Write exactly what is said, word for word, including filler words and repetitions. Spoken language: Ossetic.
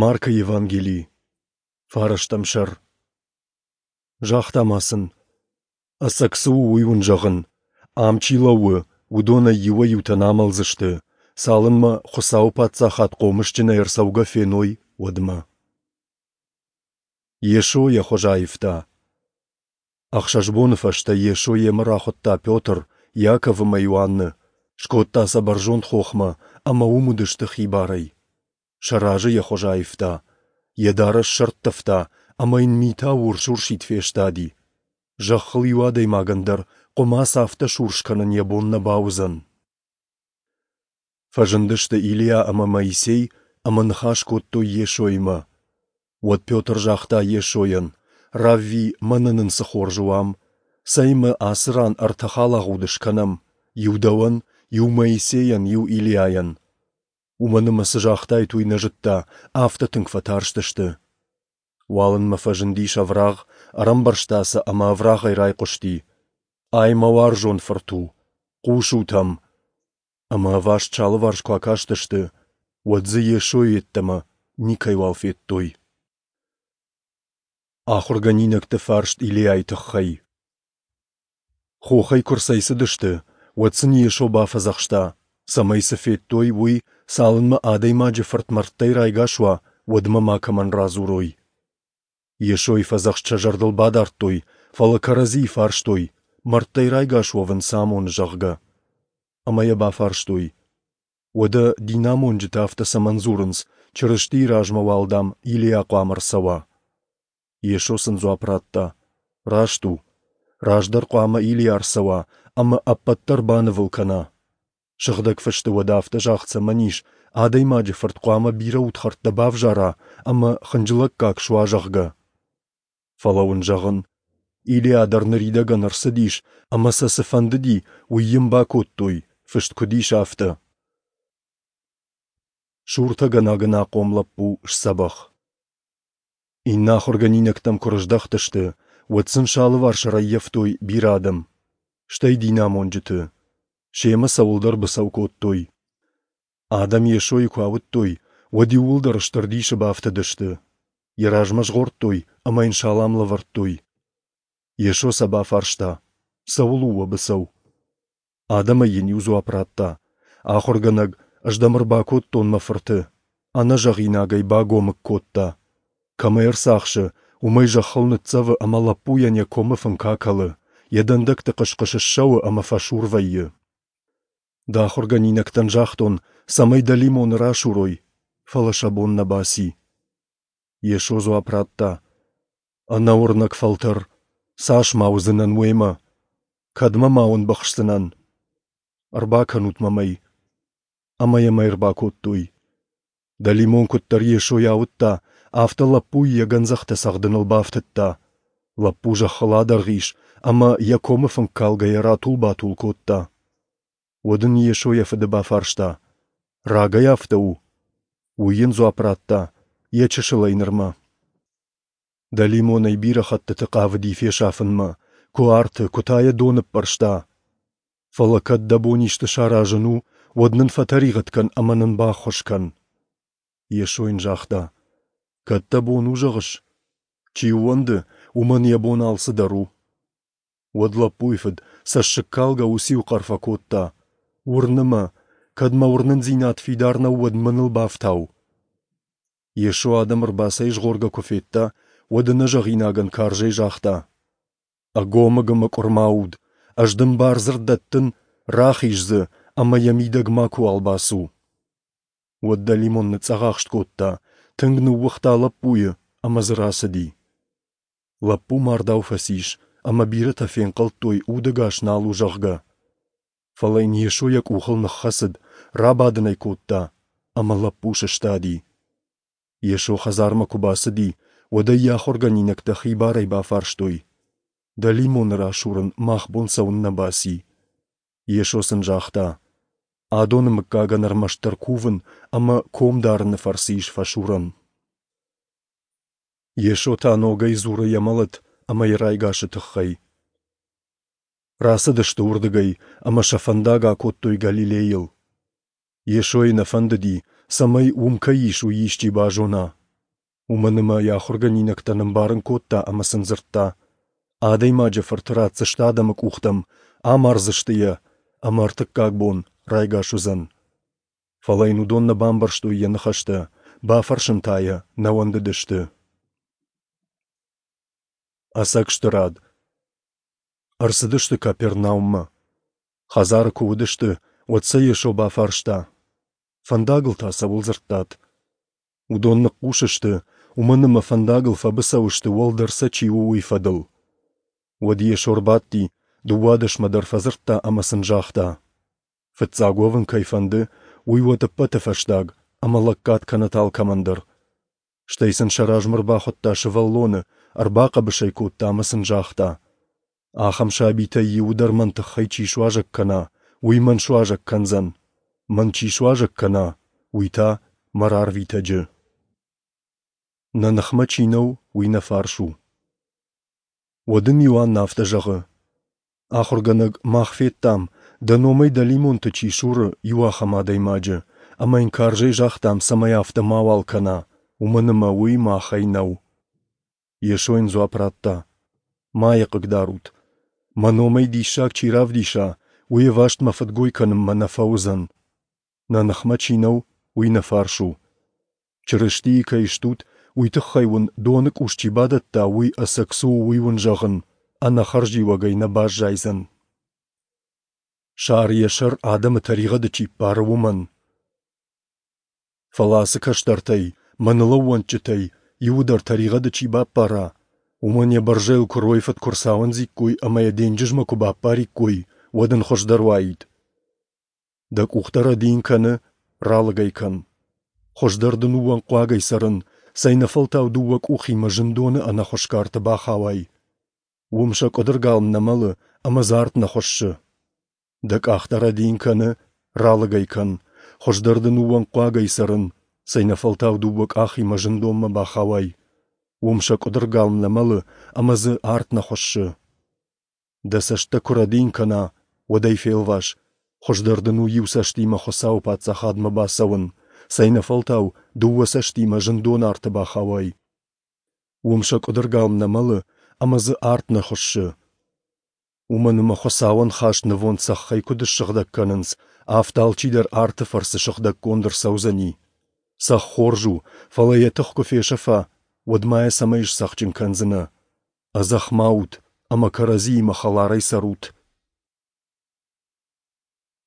Маркы Евангели, фарӕстӕм сӕр. Загъта ма сын: Ӕцӕг цы у, уый уын зӕгъын: ам чи лӕууы, уыдонӕй иуӕй-иутӕ нӕ амӕлдзысты, цалынмӕ Хуыцауы Паддзахад хъомысджынӕй ӕрцӕугӕ феной, уӕдмӕ. Йесо йӕ хуыз аивта. Ӕхсӕз боны фӕстӕ Йесо йемӕ рахуыдта Петр, Иаков ӕмӕ Иоанны, скодта сӕ бӕрзонд хохмӕ, ӕмӕ уым уыдысты хибарӕй. Сӕ разы йӕ хуыз аивта. Йӕ дарӕс сӕрттывта, ӕмӕ йын митау урс-урсид фестади. Зӕххыл иу адӕймагӕн дӕр хъуымац афтӕ сурс кӕнын йӕ бон нӕ бауыдзӕн. Фӕзындысты Илиа ӕмӕ Моисей ӕмӕ ныхас кодтой Йесоимӕ. Уӕд Петр загъта Йесойӕн: Равви, мӕнӕ нын цы хорз у ам! Цӕй ӕмӕ ацы ран ӕртӕ халагъуды скӕнӕм: иу дӕуӕн, иу Моисейӕн, иу Илиайӕн. Уымӕн ӕмӕ цы загътаид, уый нӕ зыдта, афтӕ тынг фӕтарстысты. Уалынмӕ фӕзындис ӕврагъ, ӕрӕмбӕрзта сӕ ӕмӕ ӕврагъӕй райхъуысти: Ай мӕ уарзон фырт у, хъусут ӕм! Ӕмӕ ӕваст сӕ алыварс куы акастысты, уӕд дзы Йесойы йеддӕмӕ никӕйуал федтой. Ахуыргӕнинӕгты фарст Илиайы тыххӕй. Хохӕй куы рцӕйцыдысты, уӕд сын Йесо бафӕдзӕхста, цӕмӕй цы федтой, уый, цалынмӕ Адӕймаджы Фырт мӕрдтӕй райгас уа, уӕдмӕ макӕмӕн радзурой. Йесойы фӕдзӕхст сӕ зӕрдыл бадардтой, фӕлӕ кӕрӕдзийы фарстой, мӕрдтӕй райгас уӕвын цы амоны, зӕгъгӕ. Ӕмӕ йӕ бафарстой: Уӕдӕ динамонджытӕ афтӕ цӕмӕн дзурынц, Чырыстийы размӕ уал, дам, Илиа хъуамӕ ӕрцӕуа? Йесо сын дзуапп радта: Раст у. Раздӕр хъуамӕ Илиа ӕрцӕуа ӕмӕ ӕппӕт дӕр банывыл кӕна. Сыгъдӕг Фысты уӕдӕ афтӕ загъд цӕмӕн ис, Адӕймаджы Фырт хъуамӕ бирӕ удхӕрттӕ бавзара ӕмӕ хынджылӕггаг суа, зӕгъгӕ? Фӕлӕ уын зӕгъын, Илиа дӕр ныридӕгӕн ӕрцыдис, ӕмӕ сӕ цы фӕндыди, уый йын бакодтой, фыст куыд ис, афтӕ. Суртӕгӕнаг ӕнахъом лӕппу сдзӕбӕх. Иннӕ ахуыргӕнинӕгтӕм куы рыздӕхтысты, уӕд сын сӕ алыварс ӕрӕййӕфтой бирӕ адӕм, стӕй динамонджыты. Семӕ цӕуылдӕр быцӕу кодтой. Адӕм Йесойы куы ауыдтой, уӕд иууылдӕр стыр дисы бафтыдысты. Йӕ размӕ згъордтой ӕмӕ йын салам лӕвӕрдтой. Йесо сӕ бафарста: Цӕуыл у уӕ быцӕу? Адӕмӕй йын иу дзуапп радта: Ахуыргӕнӕг, ӕз дӕм ӕрбакодтон мӕ фырты. Ӕнӕзӕгъинагӕй багомыг кодта. Кӕм ӕй ӕрцахсы, уымӕй зӕххыл ныццӕвы ӕмӕ лӕппуйӕн йӕ комы фынк акӕлы, йӕ дӕндӕгты хъыс-хъыс ссӕуы ӕмӕ фӕсур вӕййы. Дӕ ахуыргӕнинӕгтӕн загътон, цӕмӕй дӕлимоны расурой, фӕлӕ сӕ бон нӕ баци. Йесо дзуапп радта: Ӕнӕуырнӕг фӕлтӕр, цас ма уыдзынӕн уемӕ? Кӕдмӕ ма уын быхсдзынӕн? Ӕрбакӕнут мӕм ӕй. Ӕмӕ йӕм ӕй ӕрбакодтой. Дӕлимон куыддӕр Йесойы ауыдта, афтӕ лӕппуйы йӕ гӕндзӕхтӕ цӕгъдыныл бафтыдта. Лӕппу зӕххыл адӕргъ ис ӕмӕ йӕ комы фынк калгӕйӕ ратул-батул кодта. Уӕд ын Йесо йӕ фыды бафарста: Рагӕй афтӕ у? Уый йын дзуапп радта: Йӕ чысылӕй нырмӕ. Дӕлимон ӕй бирӕ хӕттыты хъавыди фесафынмӕ, куы арты, куы та йӕ доны ппӕрста. Фӕлӕ кӕд дӕ бон исты саразын у, уӕд нын фӕтӕригъӕд кӕн ӕмӕ нын баххуыс кӕн. Йесо йын загъта: Кӕд дӕ бон у, зӕгъыс? Чи ууӕнды, уымӕн йӕ бон алцыдӕр у. Уӕд лӕппуйы фыд цӕссыгкалгӕ уыциу хъӕр фӕкодта: Уырны мӕ, кӕд мӕ уырнындзинад фидар нӕу, уӕд мӕныл бафтау. Йесо адӕм ӕрбацӕйзгъоргӕ куы федта, уӕд ӕнӕзӕгъинагӕн карзӕй загъта: Ӕгомыг ӕмӕ къуырма уд, ӕз дын бардзырд дӕттын, рахиз дзы ӕмӕ йӕ мидӕг макуыуал бацу. Уӕд дӕлимон ныцъцъӕхахст кодта, тынг ныууыгъта лӕппуйы ӕмӕ дзы рацыди. Лӕппу мардау фӕцис, ӕмӕ бирӕтӕ фенхъӕлдтой, удӕгас нал у, зӕгъгӕ. Фӕлӕ йын Йесо йӕ къухыл ныххӕцыд, рабадын ӕй кодта, ӕмӕ лӕппу сыстади. Йесо хӕдзармӕ куы бацыди, уӕд ӕй йӕ ахуыргӕнинӕгтӕ хибарӕй бафарстой: Дӕлимоны расурын мах бон цӕуыннӕ баци? Йесо сын загъта: Адоны мыггагӕн ӕрмӕстдӕр кувын ӕмӕ ком дарыны фӕрцы ис фӕсурӕн. Йесо та ногӕй дзуры йӕ мӕлӕт ӕмӕ йӕ райгасы тыххӕй. Рацыдысты уырдыгӕй ӕмӕ сӕ фӕндаг акодтой Галилейыл. Йесойы нӕ фӕндыди, цӕмӕй уым кӕй ис, уый исчи базона. Уымӕн ӕмӕ йӕ ахуыргӕнинӕгтӕн ӕмбарын кодта ӕмӕ сын дзырдта: Адӕймаджы Фырты ратдзысты адӕмы къухтӕм, амардзысты йӕ, ӕмӕ ӕртыккаг бон райгас уыдзӕн. Фӕлӕ йын уыдон нӕ бамбӕрстой йӕ ныхӕстӕ, бафӕрсын та йӕ нӕ уӕндыдысты. Ӕцӕг стырад. Ӕрцыдысты Капернауммӕ. Хӕдзары куы уыдысты, уӕд сӕ Йесо бафарста: Фӕндагыл та цӕуыл дзырдтат? Уыдон ныхъхъус сты, уымӕн ӕмӕ фӕндагыл фӕбыцӕу сты, уӕлдӕр сӕ чи у, уый фӕдыл. Уӕд Йесо ӕрбадти, дыууадӕсмӕ дӕр фӕдзырдта ӕмӕ сын загъта: Фыццаг уӕвын кӕй фӕнды, уый уӕд ӕппӕты фӕстаг, ӕмӕ лӕггад кӕнӕт алкӕмӕн дӕр. Стӕй сын сӕ размӕ ӕрбахуыдта сывӕллоны, ӕрбахъӕбыс ӕй кодта ӕмӕ сын загъта: Ахӕм сабитӕй иуы дӕр мӕн тыххӕй чи суазӕг кӕна, уый мӕн суазӕг кӕндзӕн. Мӕн чи суазӕг кӕна, уый та мӕ рарвитӕджы. Нӕ ныхмӕ чи нӕу, уый нӕ фарс у. Уӕд ын Иоанн афтӕ зӕгъы: Ахуыргӕнӕг, мах федтам, дӕ номӕй дӕлимонты чи суры, иу ахӕм адӕймаджы, ӕмӕ йын карзӕй загътам, цӕмӕй афтӕ мауал кӕна, уымӕн ӕмӕ уый махӕй нӕу. Йесо йын дзуапп радта: Ма йӕ хъыгдарут. Мӕ номӕй диссаг чи равдиса, уый ӕваст мӕ фыдгой кӕнынмӕ нӕ фӕуыдзӕн. Нӕ ныхмӕ чи нӕу, уый нӕ фарс у. Чырыстийы кӕй стут, уый тыххӕй уын доны къус чи бадӕтта, уый ӕцӕг цы у, уый уын зӕгъын, ӕнӕхӕрзиуӕгӕй нӕ баззайдзӕн. Сар йӕ сӕр адӕмы тӕригъӕды чи ппары, уымӕн. Фӕлӕ ацы кӕстӕртӕй, мӕныл ӕууӕндджытӕй, иуы дӕр тӕригъӕды чи баппара, уымӕн йӕ бӕрзӕйыл куыройы фыд куы рцауындзиккой ӕмӕ йӕ денджызмӕ куы баппариккой, уӕд ын хуыздӕр уаид. Дӕ къух дӕр рӕдийын кӕны, ралыг ӕй кӕн. Хуыздӕр дын у уӕнгхъуагӕй цӕрын, цӕйнӕфӕлтау дыууӕ къухимӕ зындоны ӕнӕхуысгӕ арты бахауай. Уым сӕ къуыдыргалм нӕ мӕлы ӕмӕ дзы арт нӕ хуыссы. Дӕ къах дӕр рӕдийын кӕны, ралыг ӕй кӕн. Хуыздӕр дын у уӕнгхъуагӕй цӕрын, цӕйнӕфӕлтау дыууӕ къахимӕ зындонмӕ бахауай. Уым сӕ къуыдыргалм нӕ мӕлы ӕмӕ дзы арт нӕ хуыссы. Дӕ цӕст дӕ куы рӕдийын кӕна, уӕд ӕй фелвас. Хуыздӕр дын у иу цӕстимӕ Хуыцауы паддзахадмӕ бацӕуын, цӕйнӕфӕлтау дыууӕ цӕстимӕ зындоны арты бахауай. Уым сӕ къуыдыргалм нӕ мӕлы ӕмӕ дзы арт нӕ хуыссы. Уымӕн ӕмӕ Хуыцауӕн хаст нывонд цӕххӕй куыд ссыгъдӕг кӕнынц, афтӕ алчидӕр арты фӕрцы сыгъдӕггонд ӕрцӕудзӕни. Цӕхх хорз у, фӕлӕ йӕ тых куы фесӕфа, уӕд ма йӕ цӕмӕй сцӕхджын кӕндзынӕ? Ӕдзӕхх ма ут ӕмӕ кӕрӕдзиимӕ хӕларӕй цӕрут.